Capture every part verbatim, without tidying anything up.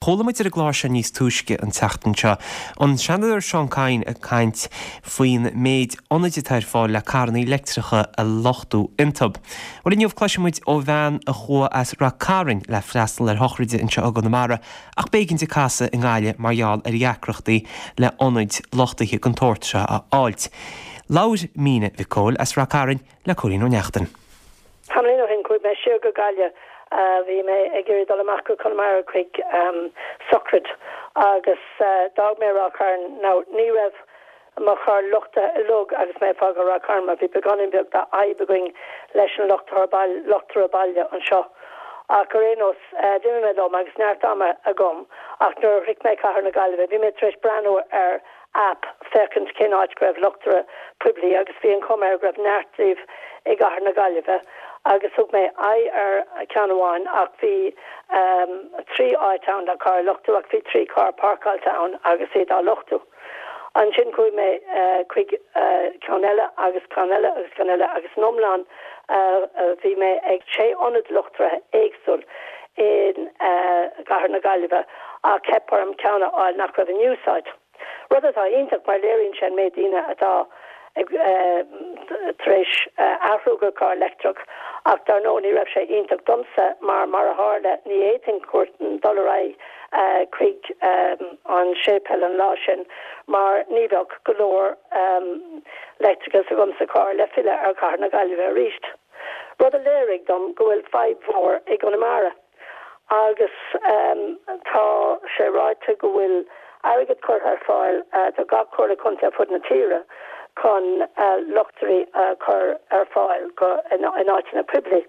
Chuala muid ar an gclár seo níos túisce an tseachtain seo. An Seanadóir Seán Kyne ag caint faoin méid ionaid atá ar fáil le carranna leictreacha a luchtú iontu. Bhuel inniu cloisfidh muid ó bhean a chuaigh as Ráth Cairn le freastal ar shochraid anseo i gConamara ach b'éigean di casadh i nGaillimh mar gheall ar dheacrachtaí le ionaid luchtaithe den tsórt seo a fháilt. Labhair Míne Mhic Cóil as Ráth Cairn le Cóilín Ó Neachtain. Tamall ó shin chuaigh mé siar go Gaillimh bhí mé ag iarraidh dul amach go Conamara chuig sochraid agus d'fhág mé Ráth Cairn now ní raibh mo charr luchtaithe uilig agus mé ag fágáil Ráth Cairn mar bhí beagáinín beag d'fhadhb againn leis an luchtaire luchtaire baile anseo. Ach ar aon nós d'imigh mé liom agus neart ama agam ach nuair a shroich mé cathair na Gaillimhe bhí mé tar éis breathnú ar app féachaint cén áit go raibh luchtaire poiblí agus bhí an chuma air go raibh neart díobh i gcathair na Gaillimhe agus thug mé aghaidh ar ceann amháin ach bhí um, trí áit ann le carr a luchtú ach bhí trí carr páirceáilte ann agus iad á luchtú. Ansin chuaigh mé uh, chuig uh, ceann eile agus ceann eile agus ceann eile agus san iomlán uh, uh, bhí mé ag sé ionad luchtaithe éagsúil in gcathair na Gaillimhe ach theip orm ceann a fháil nach raibh in úsáid. Rud atá iontach mar léiríonn sé an méid daoine atá ag tar éis athrú go carr leictreach ach dar ndóigh ní raibh sé iontach domsa mar mar a tharla ní fhéadfainn dul ar aghaidh chuig an séipéal an lá sin mar ní bheadh go leor leictreachas agam sa charr le filleadh ar chathair na Gaillimhe arís. Rud a léirigh dom go bhfuil fadhb mhór i gConamara. Agus um, tá sé ráite go bhfuil airgead curtha ar fáil uh, do gach comhairle contae fud na tíre chun uh, luchtairí uh, chur ar fáil go in, in áiteanna poiblí.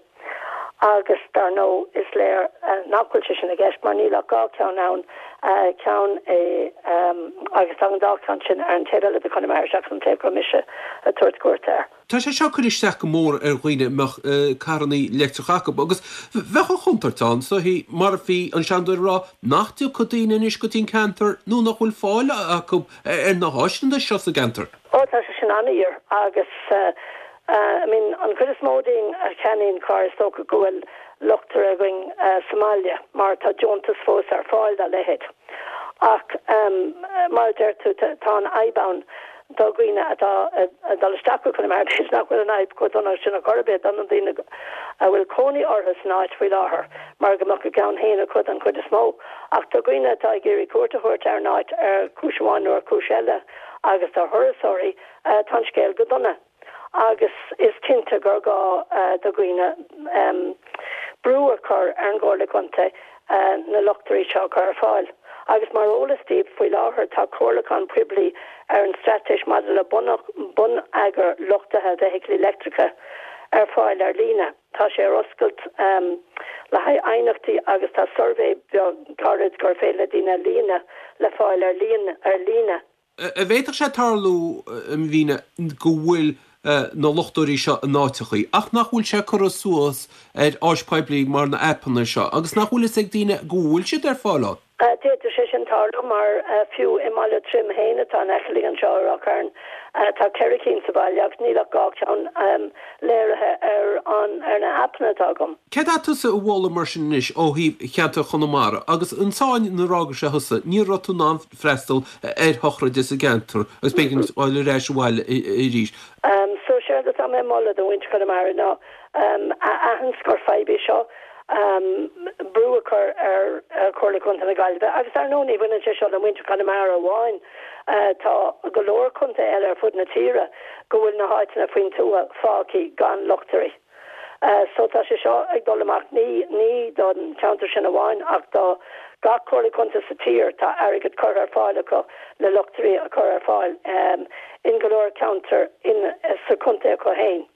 Agus dar ndóigh is léir uh, nach bhfuil sé sin i gceist mar níl ach dhá ceann ann uh, ceann é um, agus tá an dá ceann sin ar an taobh eile de Chonamara seachas an taobh go mise ag tabhairt cuairt air. Tá sé seo cur isteach go mór ar dhaoine a mbeadh carranna leictreacha acu agus bheadh an chontúirt ann so hí mar bhí an seanadóir rá nach dtiocfadh daoine anois go dtí an ceantar nó nach bhfuil fáil acu ar na háiseanna seo sa gceantar. Ó tá sé sin an-fhíor agus uh, uh, I mean, an chuid is mó dínn a cheannaíonn carr is dócha go bhfuil luchtaire againn uh, sa mbaile mar tá deontas fós ar fáil dá leithéid. Ach um, mar deir tú tá an fhadhb ann do dhaoine atá dul isteach chun mar nach bhfuil an fhadhb chomh dona sin a chorbe don na daoine a bhfuil cónaí orthu san áit faoi láthair mar go mbeadh a gceann féin acu an chuid is mó ach do dhaoine atá ag iarraidh cuairt a thabhairt ar an áit ar chúis amháin nó ar chúis eile agus do thurasóirí uh, tá an scéal go dona. Agus is cinnte gur gá uh, do dhaoine um, brú a chur ar an gComhairle Contae uh, na luchtairí seo chur ar fáil. Agus mar eolas daoibh faoi láthair tá comhairliúchán poiblí ar an straitéis maidir le bonneagar luchtaithe feithiclí leictreacha ar fáil ar líne. Tá sé ar oscailt um, le haghaidh aighneachtaí agus tá suirbhé gairid gur féidir le daoine líonadh le fáil ar líne ar líne. A bhféadfadh sé tarlú a Mhíne go bhfuil na luchtóirí seo in áiteachaí, ach nach bhfuil sé curtha suas ar áis poiblí mar na aipeanna seo, agus nach bhfuil fhios ag daoine go bhfuil siad ar fáil ann. D'fhéadfadh sé sin tarlú mar fiú i mBaile Troim féin atá in aice linn anseo i Ráth Cairn tá ceithre cinn sa bhaile agus níl ach dhá ceann léirithe ar an ar na haipeanna atá agam. Céard atá tusa a mholadh mar sin anois ó thaobh cheantar Chonamara agus an tsáinn nuair a fhág sé thusa ní raibh tú in ann freastal ar shochraid sa gceantar agus b'éigean dul ar ais abhaile arís. Um, so séard atá mé ag moladh do mhuintir Chonamara ná um, a aithint gur fadhb é seo um, brú a chur ar, ar Chomhairle Contae na Gaillimhe agus ar ndóigh ní bhaineann sé seo le muintir Chonamara amháin uh, tá go leor contaetha eile ar fud na tíre go bhfuil na háiteanna faoin tuath fágtha gan luchtairí. Uh, so tá sé seo ag dul amach ní ní don ceantar sin amháin ach do gach comhairle contae sa tír tá airgead curtha ar fáil acu le luchtairí a chur ar fáil um, in go leor ceantar in sa chontae acu féin.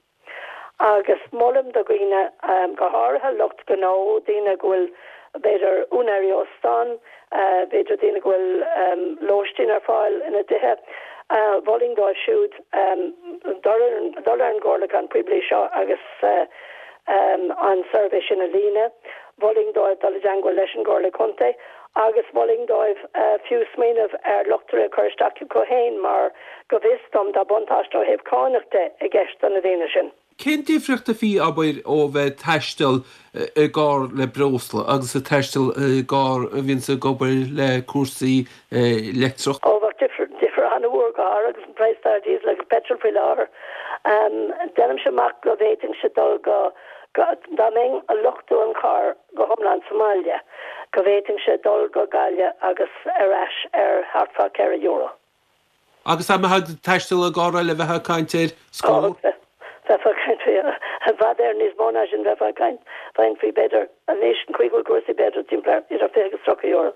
Agus molaim do dhaoine um, go háirithe lucht gnó daoine go bhfuil b'fhéidir úinéirí óstán, uh, b'fhéidir daoine go bhfuil um, lóistín ar fáil ina dtithe. Uh, Mholfainn dóibh siúd um, dul ar an gcomhairliúchán poiblí seo agus uh, um, an suirbhé sin a líonadh, Mholfainn dóibh dul i dteagmháil leis an gComhairle Contae, agus mholfainn dóibh uh, fiú smaoineamh ar luchtaire a chur isteach acu féin mar go bhfios dom tá buntáiste ó thaobh cánach de i gceist do na daoine sin. Cén difríocht a bhí, abair, ó bheith ag taisteal i gcarr le breosla agus ag taisteal i gcarr a bhíonns ag obair le cúrsaí leictreach? Ó, bheadh difear, difear an-mhór go háirithe agus an praghas atá ar diesel agus petrol faoi láthair. Déanaimse amach go bhféadfainnse dul go, go, dá mbeinn a luchtú an charr go hiomlán sa mbaile, go bhféadfainnse dul go Gaillimh agus ar ais ar thart fá ceithre euro. Agus dá mbeifeá ag taisteal i gcarr eile bheifeá ag caint ar scór? Bheifeá ag caint faoi i bhfad ar níos mó ná sin, bheifeá ag caint faoi b'fhéidir anois an chaoi go bhfuil cúrsaí b'fhéidir timpeall ar idir fiche agus tríocha euro.